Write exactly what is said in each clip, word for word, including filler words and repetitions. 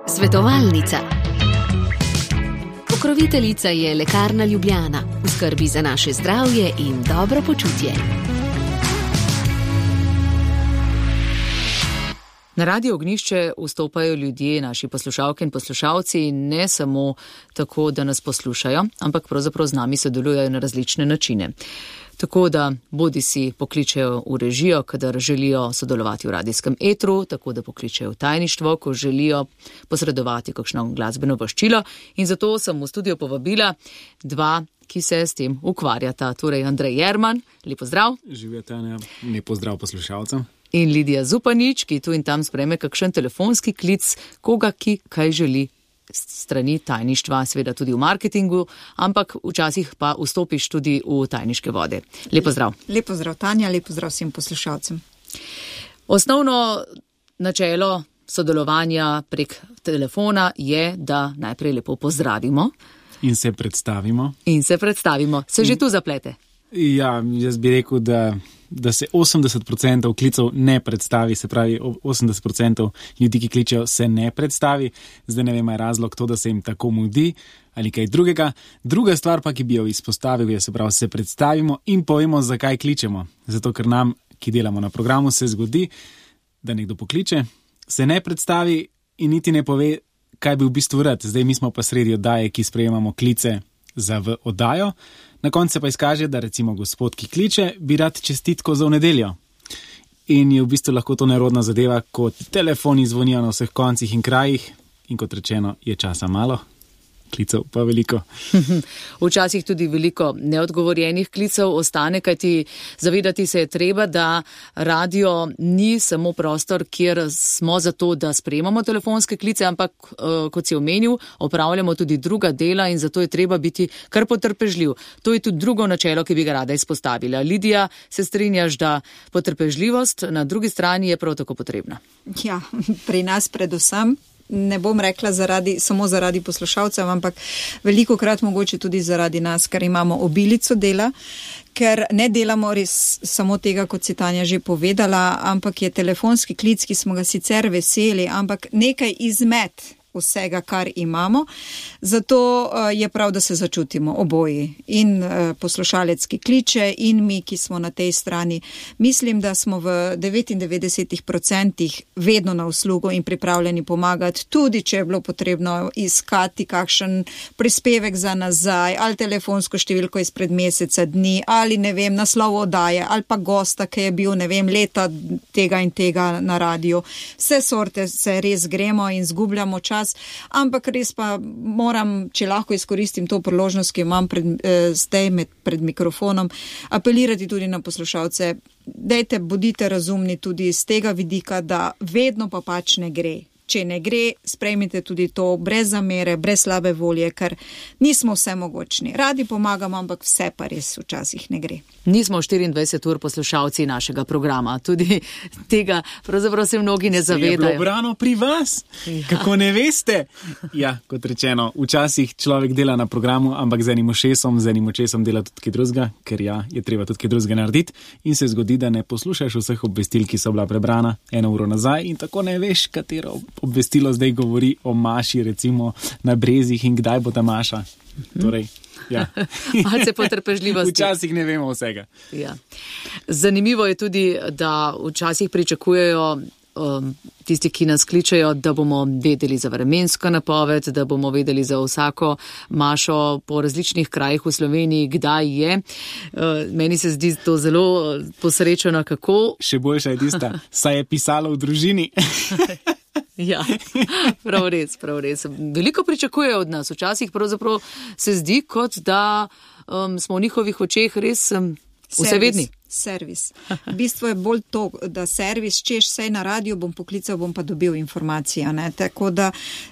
Svetovalnica. Pokroviteljica je Lekarna Ljubljana, v skrbi za naše zdravje in dobro počutje. Na Radio Ognjišče vstopajo ljudje, naši poslušalke in poslušalci, ne samo tako, da nas poslušajo, ampak pravzaprav z nami sodelujejo na različne načine. Tako da bodi si pokličejo v režijo, kadar želijo sodelovati v radijskem etru, tako da pokličejo v tajništvo, ko želijo posredovati kakšno glasbeno voščilo. In zato sem v studio povabila dva, ki se s tem ukvarjata. Torej Andrej Jerman, lep pozdrav. Živjo Tanja, lep pozdrav poslušalcem. In Lidija Zupanič, ki tu in tam sprejme kakšen telefonski klic, koga, ki kaj želi strani tajništva, seveda tudi v marketingu, ampak včasih pa vstopiš tudi v tajniške vode. Lep pozdrav. Lep pozdrav Tanja, lep pozdrav vsem poslušalcem. Osnovno načelo sodelovanja prek telefona je, da najprej lepo pozdravimo. In se predstavimo. In se predstavimo. Se že tu zaplete? Ja, jaz bi rekel, da, da se osemdeset procentov klicev ne predstavi, se pravi osemdeset procentov ljudi, ki kličejo, se ne predstavi. Zdaj ne vem, je razlog to, da se jim tako mudi ali kaj drugega. Druga stvar pa, ki bi jo izpostavil, je, se pravi, se predstavimo in povemo, zakaj kličemo. Zato, ker nam, ki delamo na programu, se zgodi, da nekdo pokliče, se ne predstavi in niti ne pove, kaj bi v bistvu rad. Zdaj mi smo pa sredi oddaje, ki sprejemamo klice za v oddajo. Na koncu se pa izkaže, da recimo gospod, ki kliče, bi rad čestitko za v nedeljo. In je v bistvu lahko to nerodna zadeva, ko telefoni zvonijo na vseh koncih in krajih in kot rečeno, je časa malo, klicev pa veliko. Včasih tudi veliko neodgovorjenih klicev ostane, kajti zavedati se je treba, da radio ni samo prostor, kjer smo zato, da sprejemamo telefonske klice, ampak kot si omenil, opravljamo tudi druga dela in zato je treba biti kar potrpežljiv. To je tudi drugo načelo, ki bi ga rada izpostavila. Lidija, se strinjaš, da potrpežljivost na drugi strani je prav tako potrebna? Ja, pri nas predvsem. Ne bom rekla zaradi, samo zaradi poslušalcev, ampak veliko krat mogoče tudi zaradi nas, ker imamo obilico dela, ker ne delamo res samo tega, kot si Tanja že povedala, ampak je telefonski klic, ki smo ga sicer veseli, ampak nekaj izmed vsega, kar imamo. Zato je prav, da se začutimo oboji. In poslušalec, ki kliče, in mi, ki smo na tej strani. Mislim, da smo v devetindevetdeset procentih vedno na uslugo in pripravljeni pomagati, tudi če je bilo potrebno iskati kakšen prispevek za nazaj, ali telefonsko številko izpred meseca dni, ali ne vem, naslov oddaje, ali pa gosta, ki je bil, ne vem, leta tega in tega na radiju. Vse sorte se res gremo in zgubljamo čas. Ampak res pa moram, če lahko izkoristim to priložnost, ki imam pred, eh, zdaj med, pred mikrofonom, apelirati tudi na poslušalce. Dajte, bodite razumni tudi iz tega vidika, da vedno pa pač ne gre. Če ne gre, sprejmite tudi to brez zamere, brez slabe volje, ker nismo vse mogočni. Radi pomagamo, ampak vse pa res včasih ne gre. Nismo štiriindvajset ur poslušalci našega programa. Tudi tega pravzaprav se mnogi ne zavedajo. Se je bilo brano pri vas? Ja. Kako ne veste? Ja, kot rečeno, včasih človek dela na programu, ampak z enim ušesom, z enim očesom dela tudi kaj drugega, ker ja, je treba tudi kaj drugega narediti in se zgodi, da ne poslušaš vseh obvestil, ki so bila prebrana eno uro nazaj in tako ne veš, katero obvestilo zdaj govori o maši, recimo na brezih in kdaj bo ta maša. Torej, ja. Malce potrpežljivosti. Včasih ne vemo vsega. Ja. Zanimivo je tudi, da včasih pričakujejo um, tisti, ki nas kličejo, da bomo vedeli za vremensko napoved, da bomo vedeli za vsako mašo po različnih krajih v Sloveniji, kdaj je. Uh, meni se zdi to zelo posrečeno, kako. Še boljša je tista, saj je pisalo v družini. Ja, prav res, prav res. Veliko pričakujejo od nas. Včasih pravzaprav se zdi, kot da um, smo v njihovih očeh res um, vsevedni. Servis. V bistvu je bolj to, da servis, češ sej na radiju bom poklical, bom pa dobil informacijo, ne, tako da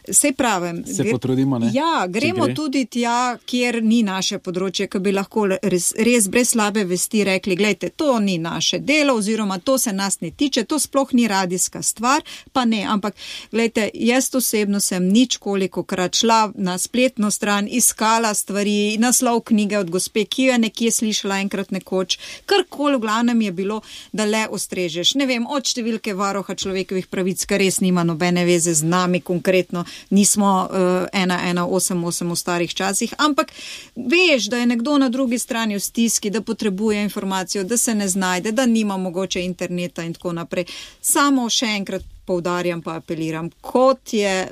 sej pravim. Se potrudimo, ne? Ja, gremo gre. Tudi tja, kjer ni naše področje, ki bi lahko res, res brez slabe vesti rekli, glejte, to ni naše delo, oziroma to se nas ne tiče, to sploh ni radijska stvar, pa ne, ampak glejte, jaz osebno sem nič kolikokrat šla na spletno stran, iskala stvari, naslov knjige od gospe, ki jo je nekje slišala enkrat nekoč, karkoli nikoli v glavnem je bilo, da le ostrežeš. Ne vem, od številke varoha človekovih pravic, kar res nima nobene veze z nami konkretno, nismo uh, ena ena osem osem v starih časih, ampak veš, da je nekdo na drugi strani v stiski, da potrebuje informacijo, da se ne znajde, da nima mogoče interneta in tako naprej. Samo še enkrat poudarjam pa apeliram, kot je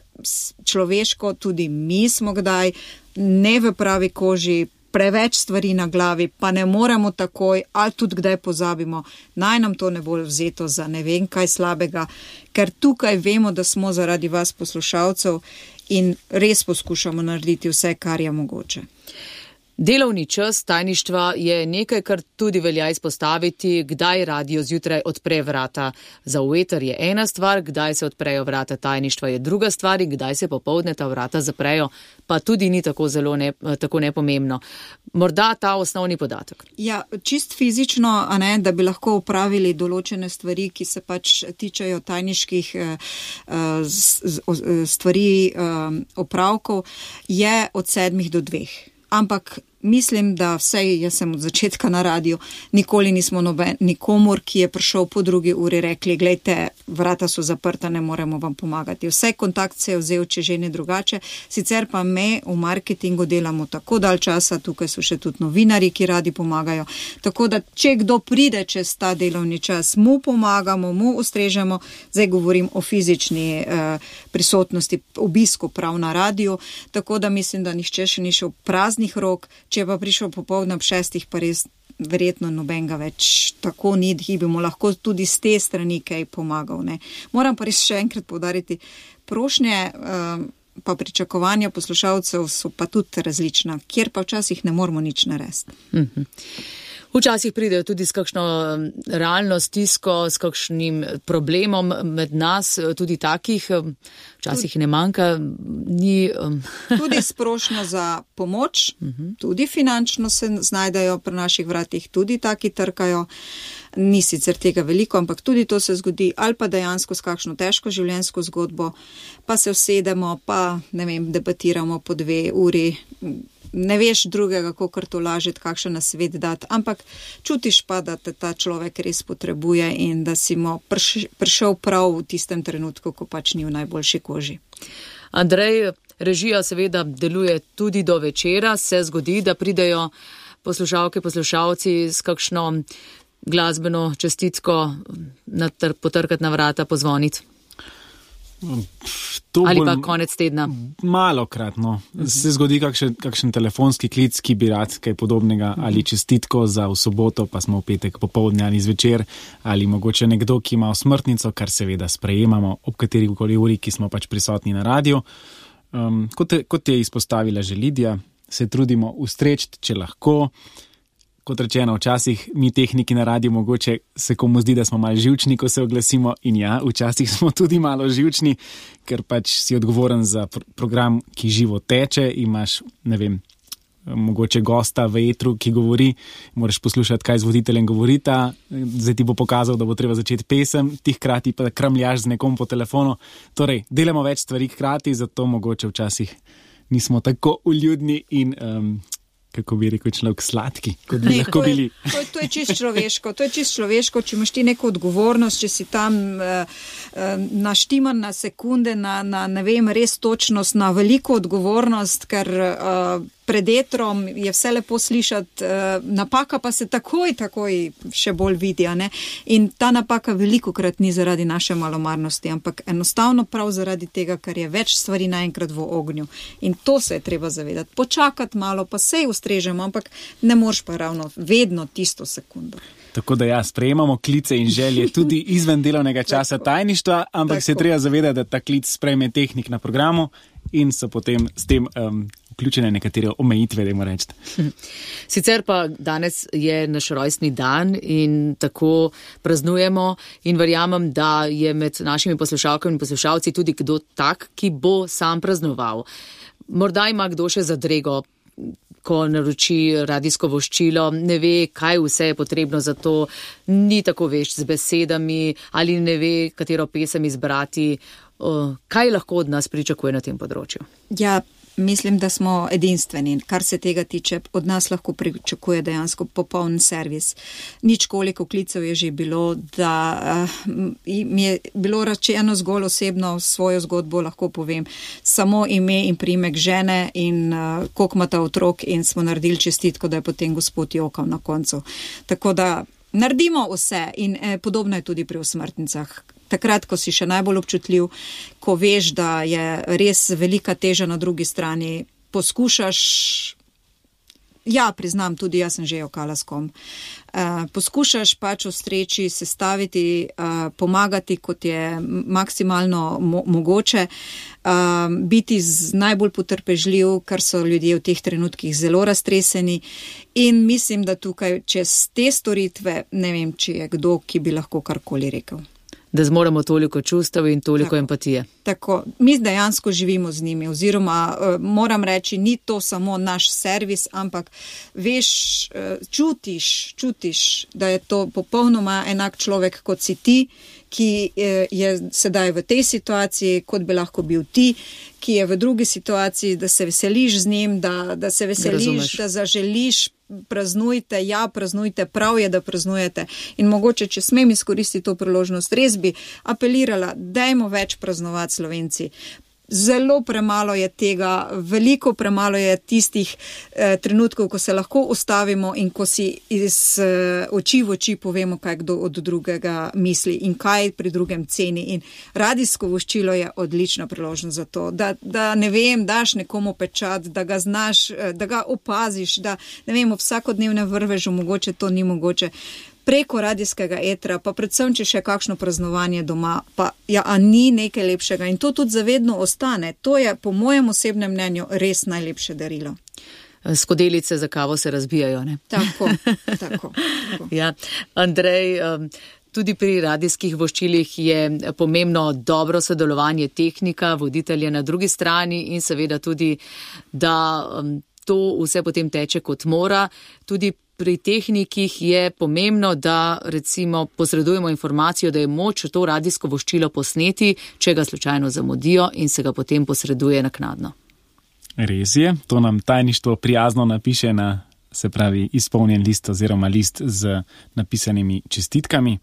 človeško, tudi mi smo kdaj ne v pravi koži, preveč stvari na glavi, pa ne moremo takoj, ali tudi kdaj pozabimo, naj nam to ne bo vzeto za ne vem kaj slabega, ker tukaj vemo, da smo zaradi vas poslušalcev in res poskušamo narediti vse, kar je mogoče. Delovni čas tajništva je nekaj, kar tudi velja izpostaviti, kdaj radio zjutraj odpre vrata za v eter je ena stvar, kdaj se odprejo vrata tajništva je druga stvar in kdaj se popoldne ta vrata zaprejo, pa tudi ni tako zelo ne, tako nepomembno. Morda ta osnovni podatek. Ja, čist fizično, a ne, da bi lahko upravili določene stvari, ki se pač tičejo tajniških uh, stvari, uh, opravkov, je od sedmih do dveh. Ampak mislim, da vsej, jaz sem od začetka na radiju, nikoli nismo noben, nikomor, ki je prišel po drugi uri, rekli, glejte, vrata so zaprta, ne moremo vam pomagati. Vse kontakt se je vzel, če že ne drugače, sicer pa me v marketingu delamo tako dalj časa, tukaj so še tudi novinari, ki radi pomagajo, tako da če kdo pride čez ta delovni čas, mu pomagamo, mu ustrežemo, zdaj govorim o fizični eh, prisotnosti, obisku prav na radiju, tako da mislim, da nihče še ni šel praznih rok. Če pa prišel popoldne ob šestih, pa res verjetno nobenega več tako ni, da bi mu lahko tudi z te strani kaj pomagal. Ne. Moram pa res še enkrat poudariti, prošnje uh, pa pričakovanja poslušalcev so pa tudi različna, kjer pa včasih ne moramo nič narediti. Mhm. Včasih pridejo tudi s kakšno realno stisko, s kakšnim problemom med nas, tudi takih, včasih ne manjka, ni... Tudi sprošnja za pomoč, tudi finančno se znajdejo pri naših vratih, tudi taki trkajo, ni sicer tega veliko, ampak tudi to se zgodi, ali pa dejansko s kakšno težko življenjsko zgodbo, pa se usedemo, pa ne vem, debatiramo po dve uri, ne veš drugega, kakor to lažiti, kakšen nasvet dati, ampak čutiš pa, da te ta človek res potrebuje in da si mu prišel prav v tistem trenutku, ko pač ni v najboljši koži. Andrej, režija seveda deluje tudi do večera, se zgodi, da pridejo poslušalke, poslušalci s kakšno glasbeno čestitko potrkati na vrata, pozvoniti. To ali pa konec tedna? Malokrat, no. Uh-huh. Se zgodi kakšen, kakšen telefonski klic, ki bi rad kaj podobnega, uh-huh. ali čestitko za v soboto, pa smo v petek popoldne ali zvečer, ali mogoče nekdo, ki ima smrtnico, kar seveda sprejemamo ob katerikoli uri, ki smo pač prisotni na radiju. Um, kot, kot je izpostavila že Lidija, se trudimo ustreči, če lahko. Kot rečeno, včasih mi tehniki na radiju mogoče se komu zdi, da smo malo živčni, ko se oglasimo in ja, včasih smo tudi malo živčni, ker pač si odgovoren za pr- program, ki živo teče, imaš, ne vem, mogoče gosta v etru, ki govori, moraš poslušati, kaj z voditeljem govorita, zdaj ti bo pokazal, da bo treba začeti pesem, ti hkrati pa kramljaš z nekom po telefonu, torej delamo več stvari hkrati, zato mogoče včasih nismo tako uljudni in... Um, kako bi rekel človek, sladki, kot bi ne, lahko to je, bili. To je, to je čist človeško, to je čist človeško, če imaš ti neko odgovornost, če si tam uh, uh, naštiman na sekunde, na, na ne vem, res točnost, na veliko odgovornost, ker uh, pred etrom je vse lepo slišati, uh, napaka pa se takoj, takoj še bolj vidi, a ne? In ta napaka velikokrat ni zaradi naše malomarnosti, ampak enostavno prav zaradi tega, ker je več stvari naenkrat v ognju. In to se je treba zavedati. Počakati malo, pa sej ustrežemo, ampak ne moreš pa ravno vedno tisto sekundo. Tako da ja, sprejemamo klice in želje tudi izven delovnega časa tajništva, ampak tako se treba zavedati, da ta klic sprejme tehnik na programu in so potem s tem um, vključene nekatere omejitve, da moram reči. Sicer pa danes je naš rojstni dan in tako praznujemo in verjamem, da je med našimi poslušalkami in poslušalci tudi kdo tak, ki bo sam praznoval. Morda ima kdo še zadrego, ko naroči radijsko voščilo, ne ve, kaj vse je potrebno za to, ni tako vešč z besedami ali ne ve, katero pesem izbrati. Kaj lahko od nas pričakuje na tem področju? Ja, mislim, da smo edinstveni, kar se tega tiče. Od nas lahko pričakuje dejansko popoln servis. Nič koliko klicev je že bilo, da uh, mi je bilo rečeno zgolj osebno svojo zgodbo, lahko povem. Samo ime in primek žene in uh, koliko ima ta otrok in smo naredili čestitko, da je potem gospod jokal na koncu. Tako da naredimo vse in eh, podobno je tudi pri osmrtnicah. Takrat, ko si še najbolj občutljiv, ko veš, da je res velika teža na drugi strani, poskušaš, ja, priznam, tudi jaz sem že jokala s kom, uh, poskušaš pač v sreči sestaviti, uh, pomagati, kot je maksimalno mo- mogoče, uh, biti z najbolj potrpežljiv, ker so ljudje v teh trenutkih zelo raztreseni in mislim, da tukaj čez te storitve, ne vem, če je kdo, ki bi lahko karkoli rekel. Da zmoremo toliko čustev in toliko tako, empatije. Tako, mi dejansko živimo z njimi, oziroma uh, moram reči, ni to samo naš servis, ampak veš, uh, čutiš, čutiš, da je to popolnoma enak človek, kot si ti, ki uh, je sedaj v tej situaciji, kot bi lahko bil ti, ki je v drugi situaciji, da se veseliš z njim, da, da se veseliš, da, da zaželiš, praznujte, ja, praznujte, prav je, da praznujete. In mogoče, če smem izkoristiti to priložnost, res bi apelirala, dajmo več praznovati Slovenci. Zelo premalo je tega, veliko premalo je tistih eh, trenutkov, ko se lahko ustavimo in ko si iz eh, oči v oči povemo, kaj kdo od drugega misli in kaj pri drugem ceni. In radijsko voščilo je odlična priložnost za to, da, da ne vem, daš nekomu pečat, da ga znaš, da ga opaziš, da ne vem, v vsakodnevnem vrvežu mogoče to ni mogoče. Preko radijskega etra, pa predvsem, če še kakšno praznovanje doma, pa ja, a ni nekaj lepšega in to tudi zavedno ostane. To je po mojem osebnem mnenju res najlepše darilo. Skodelice za kavo se razbijajo, ne? Tako, tako. tako. Ja, Andrej, tudi pri radijskih voščilih je pomembno dobro sodelovanje tehnika, voditelja na drugi strani in seveda tudi, da to vse potem teče kot mora. Tudi pri tehnikih je pomembno, da recimo posredujemo informacijo, da je moč to radijsko voščilo posneti, če ga slučajno zamudijo in se ga potem posreduje naknadno. Res je, to nam tajništvo prijazno napiše na, se pravi, izpolnjen list oziroma list z napisanimi čestitkami.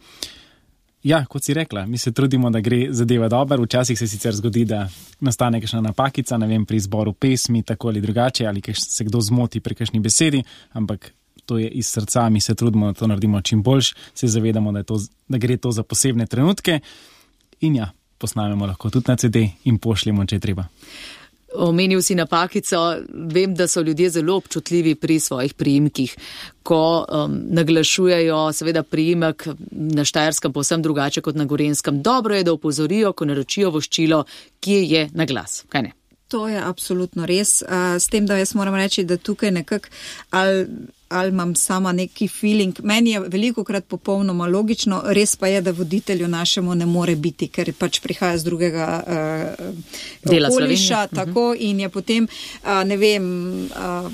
Ja, kot si rekla, mi se trudimo, da gre zadeva dobro, včasih se sicer zgodi, da nastane kakšna napakica, ne vem, pri izboru pesmi, tako ali drugače, ali se kdo zmoti pri kakšni besedi, ampak to je iz srca, mi se trudimo, da to naredimo čim boljš, se zavedamo, da, je to, da gre to za posebne trenutke in ja, posnamemo lahko tudi na ce de in pošljemo, če je treba. Omenil si napakico, vem, da so ljudje zelo občutljivi pri svojih priimkih, ko um, naglašujejo seveda priimek na Štajerskem povsem drugače kot na Gorenjskem. Dobro je, da opozorijo, ko naročijo voščilo, kje je na glas, kaj ne? To je absolutno res, uh, s tem, da jaz moram reči, da tukaj nekako ali, ali imam sama neki feeling, meni je velikokrat popolnoma logično, res pa je, da voditelju našemu ne more biti, ker pač prihaja z drugega uh, okoliša, tako, uh-huh. In je potem, uh, ne vem, uh,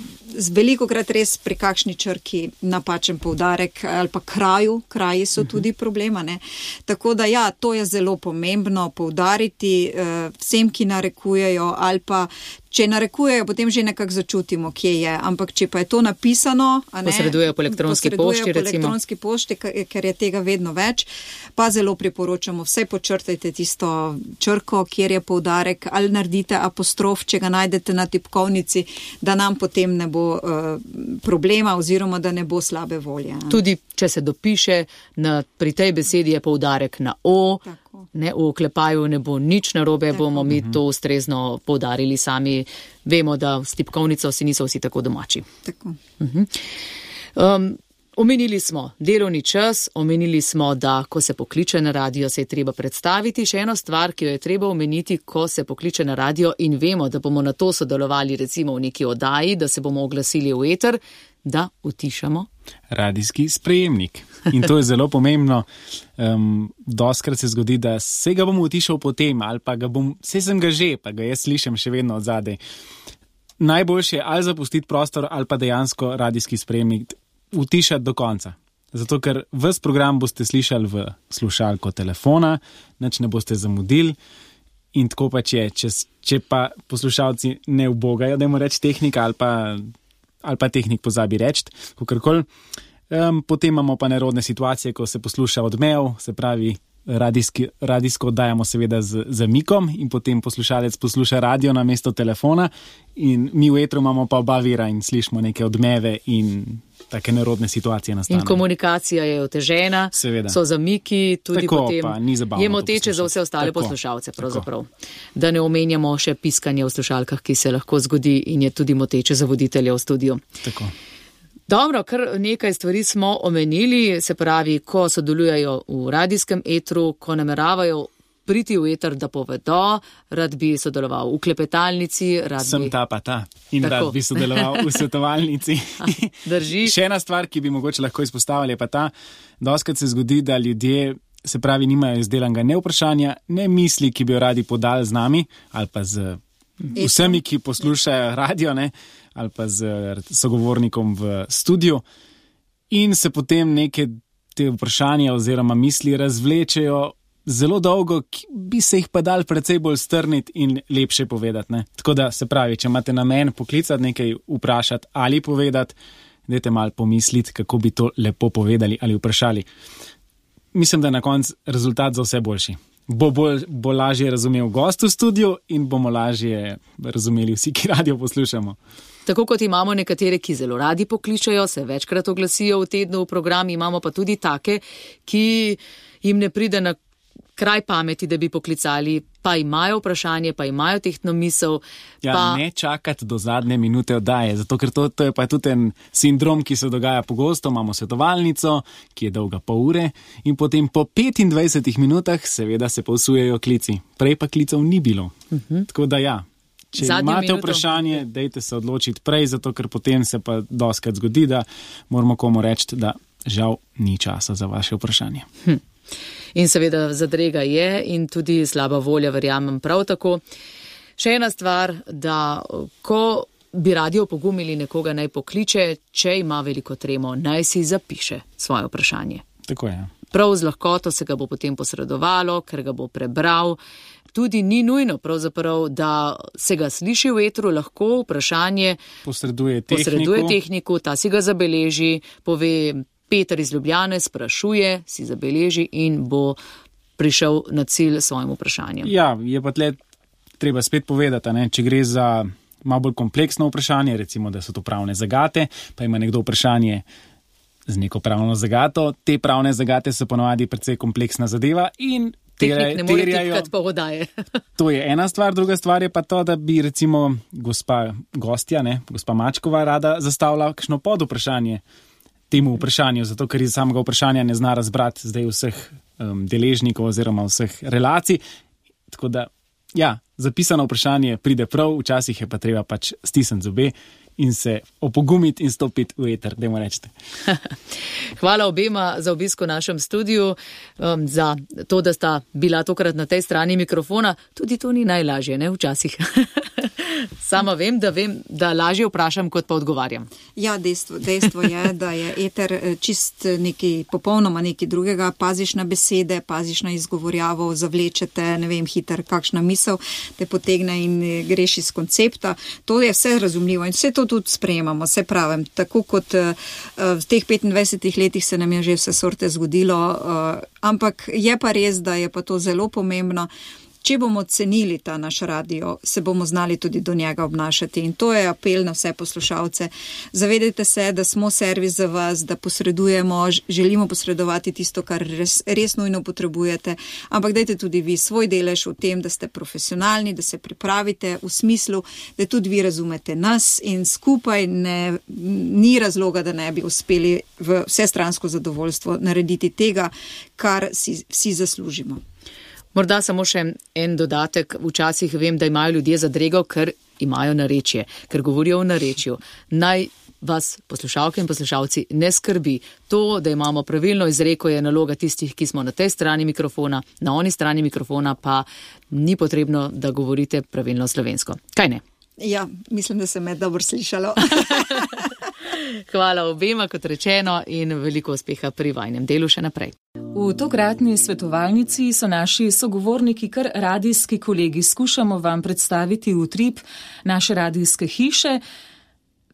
velikokrat res pri kakšni črki napačen poudarek ali pa kraju, kraji so uh-huh. tudi problema, ne. Tako da ja, to je zelo pomembno poudariti uh, vsem, ki narekujejo ali pa če narekujejo, potem že nekako začutimo, kje je. Ampak če pa je to napisano, a ne, posredujejo po elektronski pošti, po elektronski pošti, ker je tega vedno več, pa zelo priporočamo, vsaj počrtajte tisto črko, kjer je poudarek, ali naredite apostrof, če ga najdete na tipkovnici, da nam potem ne bo uh, problema oziroma da ne bo slabe volje. Ne? Tudi, če se dopiše, na, pri tej besedi je poudarek na o, tako. Ne, v oklepaju ne bo nič narobe, tako. Bomo mi to ustrezno poudarili sami. Vemo, da s tipkovnico si niso vsi tako domači. Tako. Uh-huh. Um, omenili smo delovni čas, omenili smo, da ko se pokliče na radio, se je treba predstaviti. Še eno stvar, ki jo je treba omeniti, ko se pokliče na radio in vemo, da bomo na to sodelovali recimo v neki oddaji, da se bomo oglasili v eter, da utišamo radijski sprejemnik. In to je zelo pomembno. Um, doskrat se zgodi, da se ga bom utišal potem, ali pa ga bom, se sem ga že, pa ga jaz slišim še vedno od zadaj. Najboljše je ali zapustiti prostor, ali pa dejansko radijski sprejemnik utišati do konca. Zato, ker ves program boste slišali v slušalko telefona, nič ne boste zamudili In tako pač je, če, če pa poslušalci ne ubogajo, da jim reči tehnika ali pa, ali pa tehnik pozabi reči, kakorkoli. Um, potem imamo pa nerodne situacije, ko se posluša odmev, se pravi radijski, radijsko oddajamo seveda z zamikom in potem poslušalec posluša radio na mesto telefona in mi v etru imamo pa oba vira in slišimo neke odmeve in take nerodne situacije nastanejo. In komunikacija je otežena, seveda. So zamiki, tudi tako, potem pa, ni zabavno je moteče za vse ostale tako, poslušalce pravzaprav. Da ne omenjamo še piskanje v slušalkah, ki se lahko zgodi in je tudi moteče za voditelja v studiu. Tako. Dobro, kar nekaj stvari smo omenili, se pravi, ko sodelujejo v radijskem etru, ko nameravajo priti v eter, da povedo, rad bi sodeloval v klepetalnici. Rad Sem bi... ta pa ta in tako. Rad bi sodeloval v svetovalnici. Drži. Še ena stvar, ki bi mogoče lahko izpostavili, je pa ta, doskrat se zgodi, da ljudje, se pravi, nimajo izdelanega ne vprašanja, ne misli, ki bi jo radi podali z nami ali pa z vsemi, ki poslušajo radio, ne, ali pa z sogovornikom v studiu in se potem neke te vprašanja oziroma misli razvlečejo zelo dolgo, ki bi se jih pa dal precej bolj strniti in lepše povedati. Ne. Tako da se pravi, če imate namen poklicati, nekaj vprašati ali povedati, dajte malo pomisliti, kako bi to lepo povedali ali vprašali. Mislim, da je na koncu rezultat za vse boljši. Bo, bolj, bo lažje razumel gost v studiu in bomo lažje razumeli vsi, ki radio poslušamo. Tako kot imamo nekatere, ki zelo radi pokličajo, se večkrat oglasijo v tednu v program, imamo pa tudi take, ki jim ne pride na kraj pameti, da bi poklicali, pa imajo vprašanje, pa imajo tehtno misel. Ja, pa... ne čakati do zadnje minute oddaje, zato ker to, to je pa tudi en sindrom, ki se dogaja pogosto. Imamo svetovalnico, ki je dolga pol ure in potem po petindvajsetih minutah seveda se povsujejo klici. Prej pa klicev ni bilo. Uh-huh. Tako da ja, če Zadnjo imate minuto. Vprašanje, dejte se odločiti prej, zato ker potem se pa doskrat zgodi, da moramo komu reči, da žal ni časa za vaše vprašanje. Hm. In seveda zadrega je in tudi slaba volja, verjamem prav tako. Še ena stvar, da ko bi radi opogumili nekoga naj pokliče, če ima veliko tremo, naj si zapiše svoje vprašanje. Tako je. Prav z lahkoto se ga bo potem posredovalo, ker ga bo prebral. Tudi ni nujno pravzaprav, da se ga sliši v etru, lahko vprašanje posreduje tehniku, posreduje tehniku, ta si ga zabeleži, pove Peter iz Ljubljane, sprašuje, si zabeleži in bo prišel na cilj svojim vprašanjem. Ja, je pa tle treba spet povedati, ne? Če gre za malo bolj kompleksno vprašanje, recimo, da so to pravne zagate, pa ima nekdo vprašanje z neko pravno zagato, te pravne zagate so ponovadi precej kompleksna zadeva in tehnik ne more tipkati po vodaje. To je ena stvar, druga stvar je pa to, da bi recimo gospa gostja, ne, gospa Mačkova rada zastavila kakšno pod vprašanje temu vprašanju, zato ker iz samega vprašanja ne zna razbrati zdaj vseh um, deležnikov oziroma vseh relacij. Tako da, ja, zapisano vprašanje pride prav, včasih je pa treba pač stisniti zobe in se opogumiti in stopiti v eter, dajmo rečete. Hvala obema za obisk v našem studiu, um, za to, da sta bila tokrat na tej strani mikrofona. Tudi to ni najlažje, ne, včasih. Sama vem, da vem, da lažje vprašam, kot pa odgovarjam. Ja, dejstvo, dejstvo je, da je eter čist nekaj popolnoma nekaj drugega. Paziš na besede, paziš na izgovorjavo, zavlečete, ne vem, hiter, kakšna misel te potegne in greš iz koncepta. To je vse razumljivo in vse to tudi sprejemamo, se pravim. Tako kot uh, v teh petindvajsetih letih se nam je že vse sorte zgodilo, uh, ampak je pa res, da je pa to zelo pomembno. Če bomo cenili ta naš radio, se bomo znali tudi do njega obnašati. In to je apel na vse poslušalce. Zavedajte se, da smo servis za vas, da posredujemo, želimo posredovati tisto, kar res, res nujno potrebujete. Ampak dajte tudi vi svoj delež v tem, da ste profesionalni, da se pripravite v smislu, da tudi vi razumete nas in skupaj ne, ni razloga, da ne bi uspeli v vsestransko zadovoljstvo narediti tega, kar si vsi zaslužimo. Morda samo še en dodatek. Včasih vem, da imajo ljudje zadrego, ker imajo narečje, ker govorijo v narečju. Naj vas poslušalke in poslušalci ne skrbi. To, da imamo pravilno izreko, je naloga tistih, ki smo na tej strani mikrofona, na oni strani mikrofona pa ni potrebno, da govorite pravilno slovensko. Kaj ne? Ja, mislim, da se me dobro slišalo. Hvala obema, kot rečeno, in veliko uspeha pri vajnem delu še naprej. V tokratni svetovalnici so naši sogovorniki kar radijski kolegi. Skušamo vam predstaviti utrip naše radijske hiše,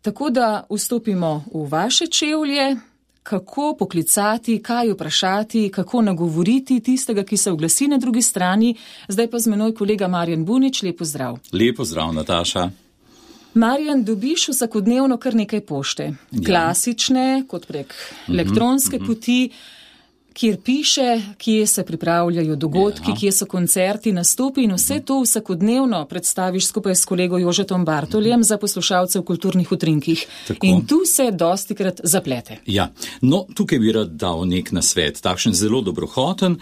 tako da vstopimo v vaše čevlje, kako poklicati, kaj vprašati, kako nagovoriti tistega, ki se oglasi na drugi strani. Zdaj pa z menoj kolega Marjan Bunič, lepo zdrav. Lepo zdrav, Nataša. Marjan, dobiš vsakodnevno kar nekaj pošte. Ja. Klasične, kot prek mm-hmm, elektronske mm-hmm. poti, kjer piše, kje se pripravljajo dogodki, ja. Kje so koncerti, nastopi in vse to vsakodnevno predstaviš skupaj s kolego Jožetom Bartoljem mm-hmm. za poslušalce v kulturnih utrinkih. Tako. In tu se dostikrat zaplete. Ja, no, tukaj bi rad dal nek nasvet, takšen zelo dobrohoten,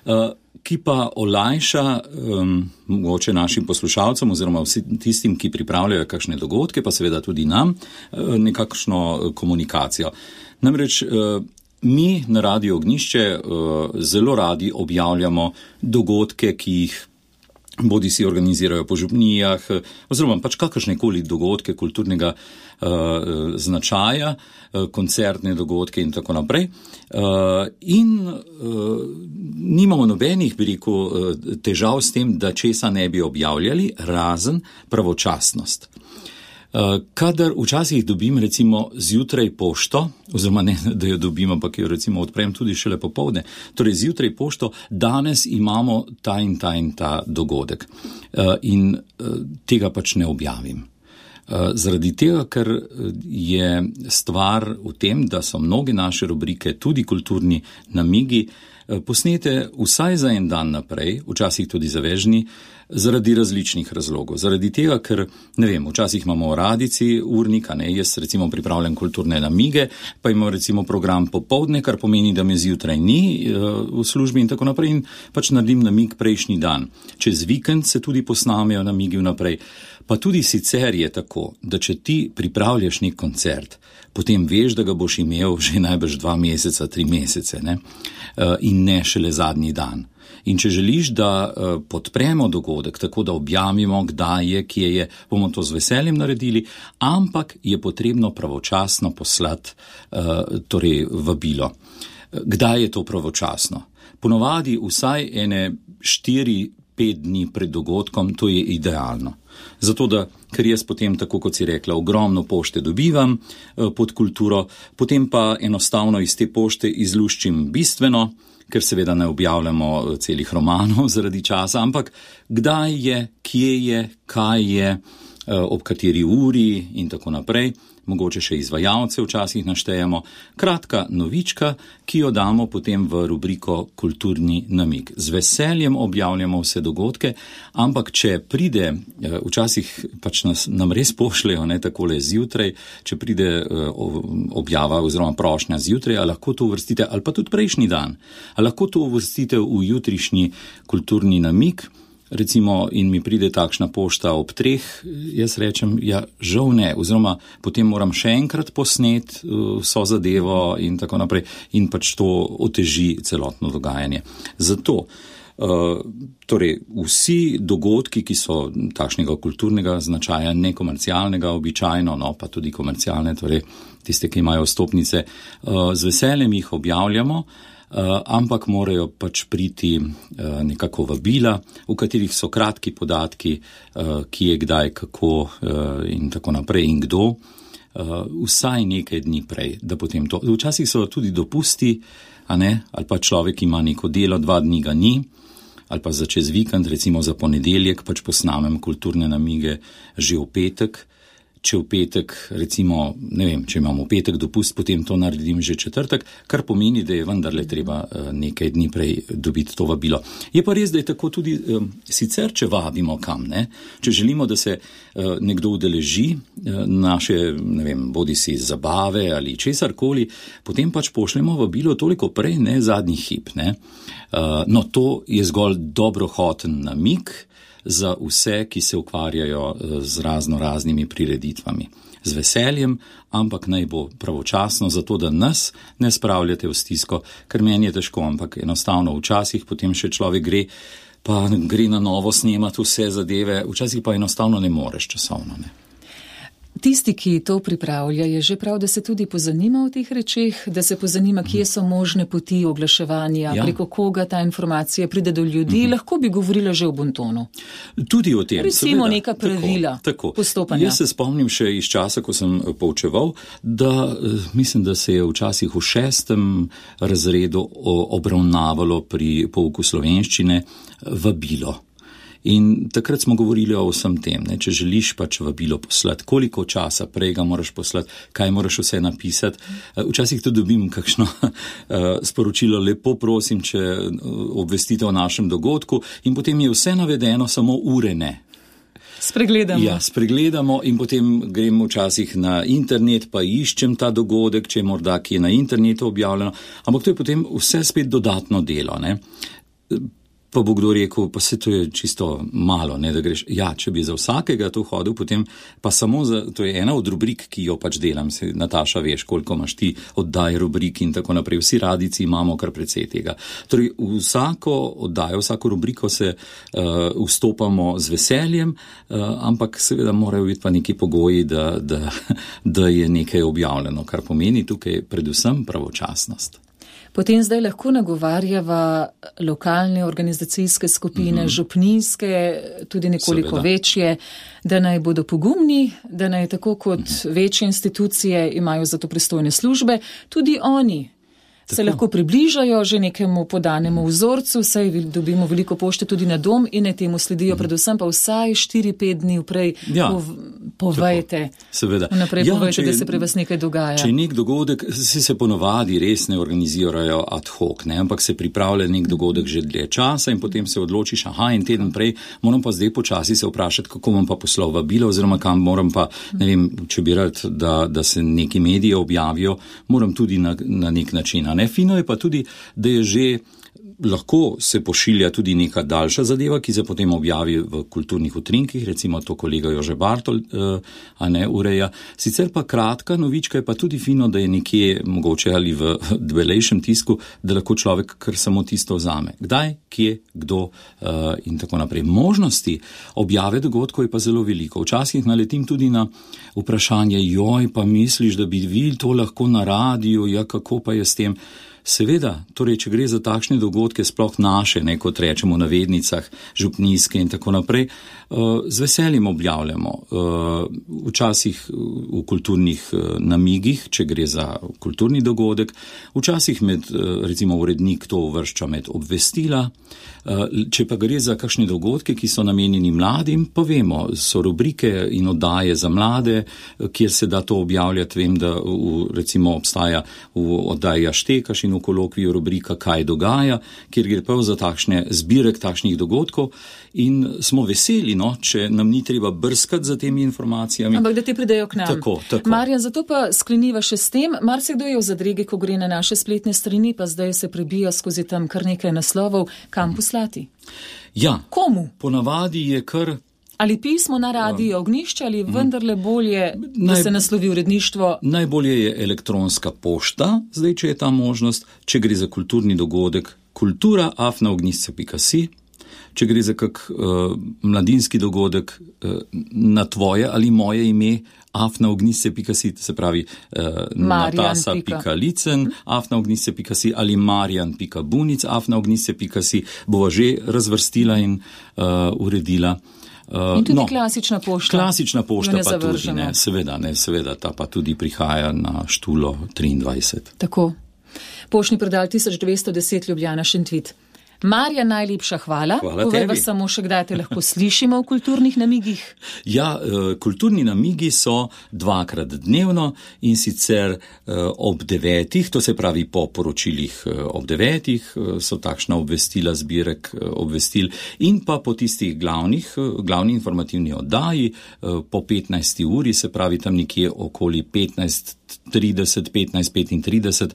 uh, ki pa olajša um, mogoče našim poslušalcem oziroma vsi tistim, ki pripravljajo kakšne dogodke, pa seveda tudi nam, uh, nekakšno komunikacijo. Namreč uh, mi na Radiu Ognjišče uh, zelo radi objavljamo dogodke, ki jih bodi si organizirajo po župnijah, oziroma pač kakršnekoli dogodke kulturnega uh, značaja, uh, koncertne dogodke in tako naprej. Uh, in uh, nimamo nobenih, bi rekel, uh, težav s tem, da česa ne bi objavljali, razen pravočasnost. Uh, kadar včasih dobim recimo zjutraj pošto, oziroma ne, da jo dobim, ampak jo recimo odprem tudi šele popovdne, torej zjutraj pošto, danes imamo ta in ta in ta dogodek uh, in uh, tega pač ne objavim. Uh, zaradi tega, ker je stvar v tem, da so mnoge naše rubrike, tudi kulturni namigi, uh, posnete vsaj za en dan naprej, včasih tudi za vežni, zaradi različnih razlogov. Zaradi tega, ker, ne vem, včasih imamo v radici urnika, ne, jaz recimo pripravljam kulturne namige, pa imamo recimo program popovdne, kar pomeni, da me zjutraj ni uh, v službi in tako naprej in pač naredim namig prejšnji dan. Čez vikend se tudi posnamejo namigi vnaprej. Pa tudi sicer je tako, da če ti pripravljaš nek koncert, potem veš, da ga boš imel že najbrž dva meseca, tri mesece, ne, uh, in ne šele zadnji dan. In če želiš, da uh, podpremo dogodek, tako da objavimo, kdaj je, kje je, bomo to z veseljem naredili, ampak je potrebno pravočasno poslati uh, torej vabilo. Kdaj je to pravočasno? Ponovadi vsaj ene štiri, pet dni pred dogodkom, to je idealno. Zato, da, ker jaz potem, tako kot si rekla, ogromno pošte dobivam uh, pod kulturo, potem pa enostavno iz te pošte izluščim bistveno, ker seveda ne objavljamo celih romanov zaradi časa, ampak kdaj je, kje je, kaj je, ob kateri uri in tako naprej. Mogoče še izvajalce včasih naštejemo. Kratka novička, ki jo damo potem v rubriko Kulturni namig. Z veseljem objavljamo vse dogodke, ampak če pride, včasih pač nas, nam res pošljejo, ne, takole zjutraj, če pride objava oziroma prošnja zjutraj, a lahko to uvrstite, ali pa tudi prejšnji dan, a lahko to uvrstite v jutrišnji Kulturni namig, recimo, in mi pride takšna pošta ob treh, jaz rečem, ja, žal ne, oziroma potem moram še enkrat posnet vso zadevo in tako naprej in pač to oteži celotno dogajanje. Zato, uh, torej, vsi dogodki, ki so takšnega kulturnega značaja, nekomercialnega običajno, no, pa tudi komercialne, torej tiste, ki imajo vstopnice, uh, z veseljem jih objavljamo, Uh, ampak morajo pač priti uh, nekako vabila, v katerih so kratki podatki, uh, ki je kdaj, kako uh, in tako naprej in kdo, uh, vsaj nekaj dni prej, da potem to. Včasih so tudi dopusti, a ne, ali pa človek ima neko delo, dva dni ga ni, ali pa za čez vikend, recimo za ponedeljek, pač posnamem kulturne namige že v petek. Če v petek, recimo, ne vem, če imamo v petek dopust, potem to naredim že četrtek, kar pomeni, da je vendarle treba nekaj dni prej dobiti to vabilo. Je pa res, da je tako tudi um, sicer, če vabimo kam, ne? Če želimo, da se uh, nekdo udeleži uh, naše, ne vem, bodi si zabave ali česarkoli, potem pač pošljemo vabilo toliko prej, ne, zadnji hip, ne. Uh, no, to je zgolj dobrohoten namig za vse, ki se ukvarjajo z razno raznimi prireditvami. Z veseljem, ampak naj bo pravočasno, zato da nas ne spravljate v stisko, ker meni je težko, ampak enostavno včasih potem še človek gre pa gre na novo snemati vse zadeve, včasih pa enostavno ne moreš časovno, ne. Tisti, ki to pripravlja, je že prav, da se tudi pozanima o teh rečeh, da se pozanima, kje so možne poti oglaševanja, ja. Preko koga ta informacija pride do ljudi, mm-hmm. lahko bi govorila že o bontonu. Tudi o tem. Recimo seveda, neka pravila tako, tako. postopanja. Jaz se spomnim še iz časa, ko sem poučeval, da mislim, da se je včasih v šestem razredu obravnavalo pri pouku slovenščine vabilo. In takrat smo govorili o vsem tem, ne? Če želiš pač vabilo poslati, koliko časa prej ga moraš poslati, kaj moraš vse napisati. Včasih tudi dobim kakšno sporočilo, lepo prosim, če obvestite o našem dogodku in potem je vse navedeno, samo ure ne. Spregledamo. Ja, spregledamo in potem grem včasih na internet, pa iščem ta dogodek, če je morda ki je na internetu objavljeno, ampak to je potem vse spet dodatno delo, ne. Pa bo kdo rekel, pa se to je čisto malo, ne, da greš. Ja, če bi za vsakega to hodil, potem pa samo za, to je ena od rubrik, ki jo pač delam, se, Nataša, veš, koliko imaš ti oddaj rubrik in tako naprej. Vsi radici imamo kar precej tega. Torej, vsako oddajo, vsako rubriko se uh, vstopamo z veseljem, uh, ampak seveda morajo biti pa neki pogoji, da, da, da je nekaj objavljeno, kar pomeni tukaj predvsem pravočasnost. Potem zdaj lahko nagovarjava lokalne organizacijske skupine, mm-hmm. župnijske, tudi nekoliko Seveda. Večje, da naj bodo pogumni, da naj tako kot mm-hmm. večje institucije imajo za to pristojne službe, tudi oni tako. Se lahko približajo že nekemu podanemu vzorcu, saj dobimo veliko pošte tudi na dom in ne temu sledijo, mm-hmm. predvsem pa vsaj štiri pet dni vprej ja. pov, povejte. Seveda. Naprej ja, povejte, če, da se pri vas nekaj dogaja. Če nek dogodek, se, se ponovadi res ne organizirajo ad hoc, ne, ampak se pripravlja nek dogodek že dlje časa in potem se odločiš, aha, in teden prej, moram pa zdaj počasi se vprašati, kako bom pa poslal vabilo, oziroma kam moram pa, ne vem, če bi rad, da, da se neki mediji objavijo, moram tudi na, na nek način. A ne, fino je pa tudi, da je že lahko se pošilja tudi neka daljša zadeva, ki se potem objavi v kulturnih utrinkih, recimo to kolega Jože Bartol, a ne, ureja. Sicer pa kratka novička je pa tudi fino, da je nekje, mogoče ali v debelejšem tisku, da lahko človek kar samo tisto vzame. Kdaj, kje, kdo in tako naprej. Možnosti objave dogodkov je pa zelo veliko. Včasih naletim tudi na vprašanje, joj, pa misliš, da bi vi to lahko na radiju, ja, kako pa je s tem? Seveda, torej, če gre za takšne dogodke, sploh naše, ne, kot rečemo na vednicah, župnijske in tako naprej, z veseljem objavljamo. Včasih v kulturnih namigih, če gre za kulturni dogodek, včasih med, recimo, urednik to uvršča med obvestila, če pa gre za kakšne dogodke, ki so namenjeni mladim, pa vemo, so rubrike in oddaje za mlade, kjer se da to objavljati. Vem, da v, recimo obstaja v oddaji Aštekaš in v kolokviju rubrika Kaj dogaja, kjer gre prav za takšne zbirek takšnih dogodkov in smo veseli, no, če nam ni treba brskati za temi informacijami. Ampak da ti pridejo k nam. Tako, tako. Marjan, zato pa skleniva še s tem, marsikdo je v zadregi, ko gre na naše spletne strani, pa zdaj se prebija skozi tam kar nekaj naslovov, kam poslati. Ja. Komu? Ponavadi je kar ali pismo na radio Ognjišče, ali vendarle bolje, da Naj, se naslovi uredništvo? Najbolje je elektronska pošta, zdaj, če je ta možnost, če gre za kulturni dogodek, kultura afna ognjišče pika si, če gre za kak uh, mladinski dogodek uh, na tvoje ali moje ime, afna ognjišče pika si, se pravi uh, natasa pika licen, afna ognjišče pika si ali marjan pika bunic, afna ognjišče pika si, bova že razvrstila in uh, uredila. In tudi no, klasična pošta. Klasična pošta pa tudi, ne, seveda, ne, seveda, ta pa tudi prihaja na Štulo triindvajset. Tako. Poštni predal tisoč dvesto deset Ljubljana Šentvid. Marja, najlepša hvala. Hvala Povej tebi. Vas samo še, kdaj te lahko slišimo v kulturnih namigih. Ja, kulturni namigi so dvakrat dnevno in sicer ob devetih, to se pravi po poročilih ob devetih, so takšna obvestila, zbirek obvestil in pa po tistih glavnih, glavni informativni oddaji po petnajsti uri, se pravi tam nekje okoli petnajst trideset, petnajst petintrideset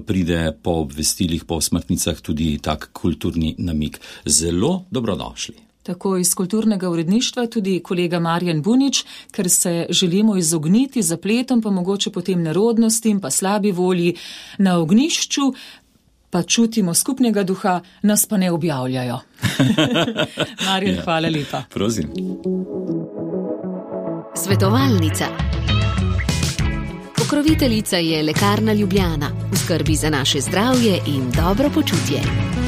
pride po obvestilih, po smrtnicah tudi tak kulturni namig. Zelo dobrodošli. Tako iz kulturnega uredništva tudi kolega Marjan Bunič, ker se želimo izogniti zapletom, pa mogoče potem nerodnostim, pa slabi volji na ognjišču. pa čutimo skupnega duha, nas pa ne objavljajo. Marjan, ja. Hvala lepa. Prosim. Svetovalnica. Pokroviteljica je Lekarna Ljubljana, v skrbi za naše zdravje in dobro počutje.